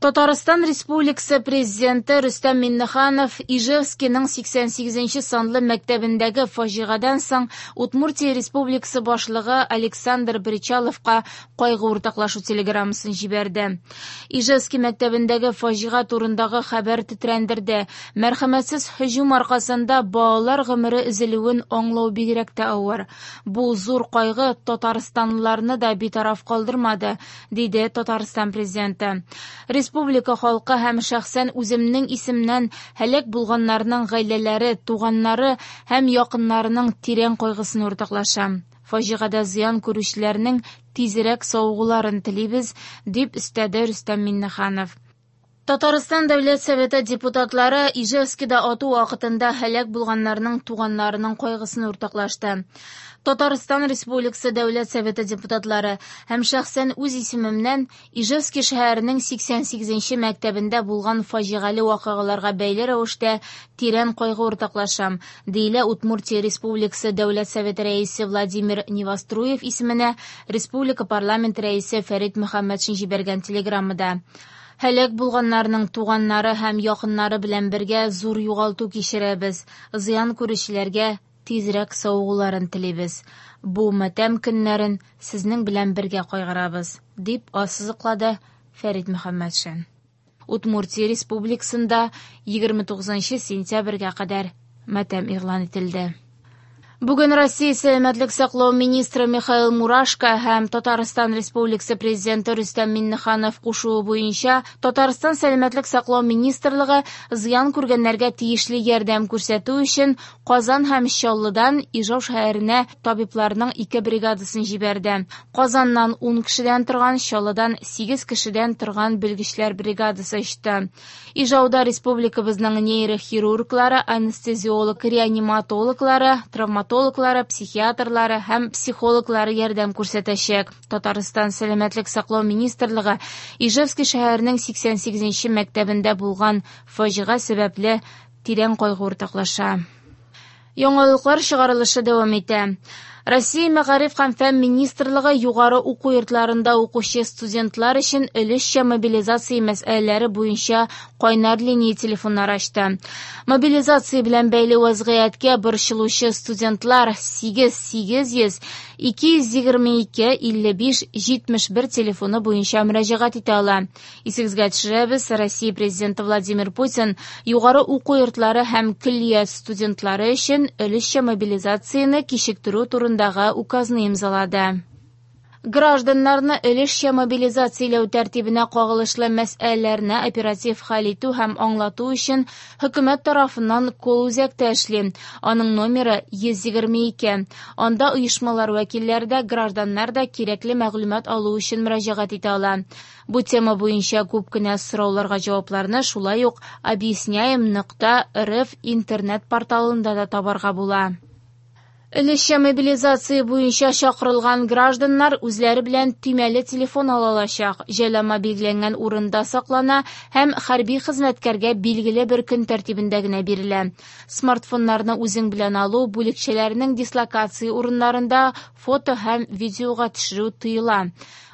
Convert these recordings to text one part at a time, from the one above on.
Татарстан Республикасы Президенты Рөстәм Миңнеханов Ижевскиның 88 нче санлы мәктәбендәге фаҗигадән соң Удмуртия Республикасы Башлыгы Александр Бречаловка кайгы уртаклашу телеграммасын җибәрде. Ижевский мәктәбендәге фаҗига турындагы хәбәр тетрәндерде. Мәрхәмәтсез һөҗүм аркасында балалар гомере өзелүен аңлау бигрәк тә авыр. Бу зур кайгы татарстанлыларны да битараф калдырмады, диде Татарстан Президенты. Республика халкы һәм шәхсән үземнең исемнән һәлак булганнарның гаиләләре, туганнары һәм якыннарының тирән кайгысын уртаклашам. Фаҗигадә зыян күрүчеләрнең тизрәк савыгуларын телибез, дип өстәде Рөстәм Миңнеханов. Татарстан Дәүләт Советы депутатлары Ижевскида ату вакытында һәлак булганнарның туганнарының кайгысын уртаклашты. Татарстан Республикасы Дәүләт Советы депутатлары һәм шәхсән үз исемемнән Ижевский шәһәренең 88 нче мәктәбендә булган фаҗигале вакыйгаларга бәйле рәвештә тирән кайгы уртаклашам, диелә Удмуртия Республикасы Дәүләт Советы Рәисе Владимир Невоструев исеменә республика парламент Рәисе Фәрит Мөхәммәтшин җибәргән телеграммада. Һәлак булганнарның туганнары һәм якыннары белән бергә зур югалту кичерәбез, зыян күрүчеләргә тизрәк савыгуларын телибез. Бу матәм көннәрен сезнең белән бергә кайгырабыз, дип ассызыклады Фәрит Мөхәммәтшин. Удмуртия Республикасында 29 сентябрьгә кадәр матәм игълан ителде. Бүген Россия сәламәтлек саклау министры Михаил Мурашко һәм Татарстан Республикасы Президенты Рөстәм Миңнеханов кушуы буенча Татарстан Сәламәтлек саклау министрлыгы зыян күргәннәргә тиешле ярдәм күрсәтү өчен Казан һәм Чаллыдан Ижау шәһәренә табибларның ике бригадасын җибәрде. Казаннан ун кешедән торган, Чаллыдан сигез кешедән торган белгечләр бригадасы очты. Ижауда республикабызның нейрохирурглары, анестезиолог-реаниматологлары, травматологлары, психиатрлары һәм психологлары ярдәм күрсәтәчәк. Татарстан Сәламәтлек саклау министрлыгы Ижевский шәһәренең 88 нче мәктәбендә булган фаҗига сәбәпле тирән кайгы уртаклаша. Яңалыклар чыгарылышы дәвам итә. Россия Мәгариф һәм фән министрлыгы югары уку йортларында укучы студентлар өчен өлешчә мобилизация мәсьәләләре буенча кайнар линия телефоннары ачты. Мобилизация белән бәйле вазгыятькә борчылучы студентлар 8 800 222 55 71 телефоны буенча мөрәҗәгать итә ала. Исегезгә төшерәбез, Россия Президенты Владимир Путин югары уку йортлары һәм көллият студентлары өчен өлешчә мобилизацияне кичектерү турындагы указны имзалады. Гражданнарны өлешчә мобилизацияләү тәртибенә кагылышлы мәсьәләләрне оператив хәл итү һәм аңлату өчен хөкүмәт тарафыннан колл-үзәк тә эшли. Аның номеры 122. Анда оешмалар вәкилләре дә, гражданнар да кирәкле мәгълүмат алу өчен мөрәҗәгать итә ала. Бу тема буенча күп кенә сорауларга җавапларны шулай ук объясняем нокта рф интернет-порталында да табарга була. Өлешчә мобилизация буенча чакырылган гражданнар үзләре белән төймәле телефон ала алачак. Җайланма билгеләнгән урында саклана һәм хәрби хезмәткәргә билгеле бер көн тәртибендә генә бирелә. Смартфоннарны үзең белән алу, бүлекчәләрнең дислокация урыннарында фото һәм видеога төшерү тыела.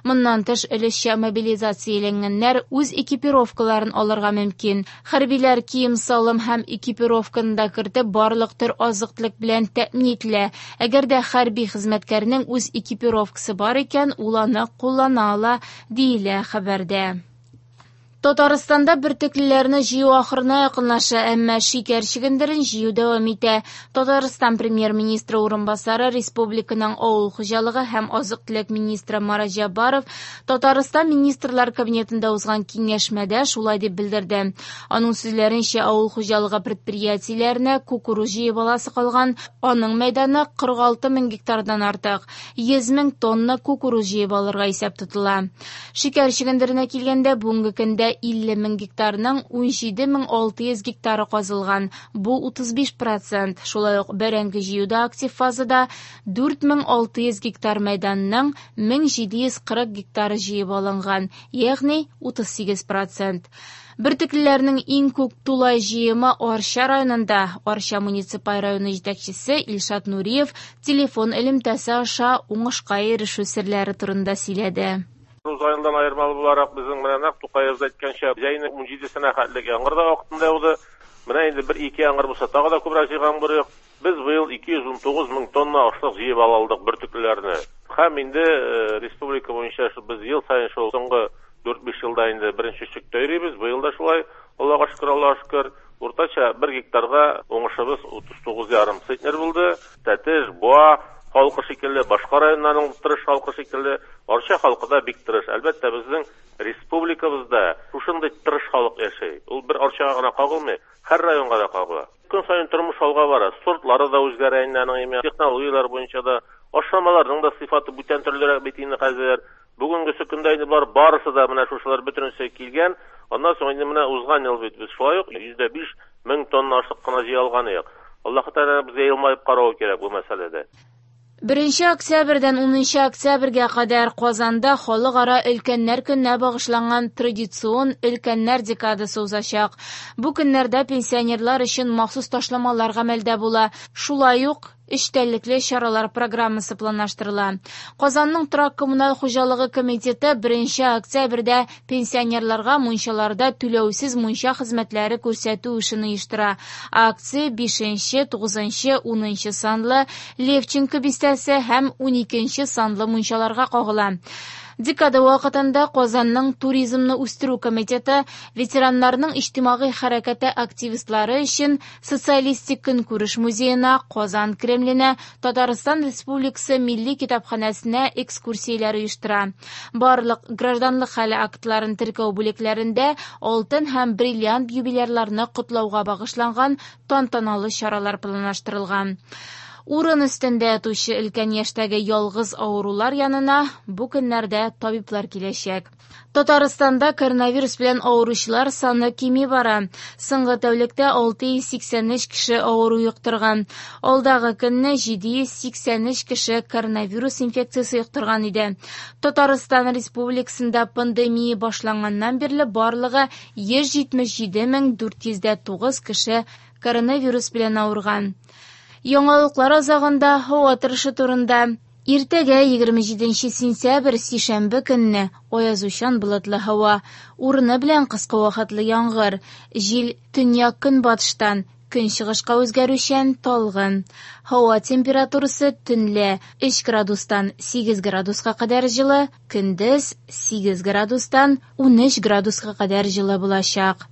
Моннан тыш, өлешчә мобилизацияләнгәннәр үз экипировкаларын алырга мөмкин. Хәрбиләр кием-салым һәм экипировканы да кертеп, барлык төр азык-төлек белән тәэмин ителә. Әгәр дә хәрби хезмәткәрнең үз экипировкасы бар икән, ул аны куллана ала, диелә хәбәрдә. Татарстанда бөртеклеләрне җыю ахырына якынлаша, әмма шикәр чөгендерен җыю дәвам итә. Татарстан Премьер-министры урынбасары, республиканың авыл хуҗалыгы һәм азык-төлек министры Марат Җәббаров Татарстан Министрлар Кабинетында узган киңәшмәдә шулай дип белдерде. Аның сүзләренчә, авыл хуҗалыгы предприятиеләренә кукуруз җыеп аласы калган, аның мәйданы 46 мең гектардан артык. 100 мең тонна кукуруз җыеп алырга исәп тотыла. Шикәр чөгендеренә килгәндә, бүгенге көндә 50 мең гектарның 17 мең 600 гектары казылган, бу 35 процент. Шулай ук бәрәңге җыюда актив фазада 4600 гектар мәйданның 1740 гектары җыеп алынган, ягъни 38 процент. Бөртеклеләрнең иң күп тулай җыемы Арча районында. Арча муниципаль районы җитәкчесе Илшат Нуриев телефон элемтәсе аша уңышка ирешү серләре турында сөйләде. Узган елдан аермалы буларак, безнең менә нәкъ Тукаебыз әйткәнчә, җәйнең 17-сенә хәтлек яңгыр да вакытында яуды. Менә инде бер-ике яңгыр булса, тагы да күбрәк җыйган булыр идек. Без быел 219 мең тонна ашлык җыеп ала алдык бөртеклеләрне. Һәм инде республика буенча без ел саен шул соңгы 4-5 елда инде беренче өчлектә йөрибез. Быел да шулай. Аллага шөкер, Аллага шөкер. Уртача бер гектарга уңышыбыз 39,5 центнер булды. Тәтеш, Буа халкы шикелле, башка районнарның тырыш халкы шикелле, Арча халкы да бик тырыш. Әлбәттә, безнең республикабызда шушындый тырыш халык яши. Ул бер Арчага гына кагылмый, һәр районга да кагыла. Көн саен тормыш алга бара, сортлары да үзгәрә инде аның имя, технологияләр буенча да, ашламаларның да сыйфаты бүтән төрлерәк бит инде хәзер. Бүгенгесе көндә инде болар барысы да менә шушылар бөтенесе килгән. Аннан соң инде менә узган ел бит без шулай ук 105 мең тонна ашлык кына җыя алган идек. Аллаһы Тәгалә безгә елмаеп каравы кирәк бу мәсьәләдә. 1 октябрьдән 10 октябрьгә кадәр Казанда халыкара өлкәннәр көненә багышланган традицион өлкәннәр декадасы узачак. Бу көннәрдә пенсионерлар өчен махсус ташламалар гамәлдә була. Шулай ук эчтәлекле чаралар программасы планлаштырыла. Казанның торак коммуналь хуҗалыгы комитеты 1 октябрьдә пенсионерларга мунчаларда түләүсез мунча хезмәтләре күрсәтү эшен оештыра. Акция 5, 9, 10 санлы Левченко бистәсе һәм 12 санлы мунчаларга кагыла. Декада вакытында Казанның туризмны үстерү комитеты ветераннарның иҗтимагый хәрәкәте активистлары өчен Социалистик көнкүреш музеена, Казан Кремленә, Татарстан Республикасы Милли китапханәсенә экскурсияләр оештыра. Барлык гражданлык хәле актларын теркәү бүлекләрендә алтын һәм бриллиант юбилярларны котлауга багышланган тантаналы чаралар планлаштырылган. Урын өстендә ятучы өлкән яшьтәге ялгыз авырулар янына бу көннәрдә табиблар киләчәк. Татарстанда коронавирус белән авыручылар саны кими бара. Соңгы тәүлектә 683 кеше авыру йоктырган. Алдагы көнне 783 кеше коронавирус инфекциясе йоктырган иде. Татарстан Республикасында пандемия башланганнан бирле барлыгы 177 409 кеше коронавирус белән авырган. Яңалыклар азагында һава торышы турында. Иртәгә 27 сентябрь сишәмбе көнне аязучан болытлы һава, урыны белән кыска вакытлы яңгыр, җил төньяк-көнбатыштан көнчыгышка үзгәрүчән талгын. Һава температурасы төнлә 3 градустан 8 градуска кадәр җылы, көндез 8 градустан 13 градуска кадәр җылы булачак.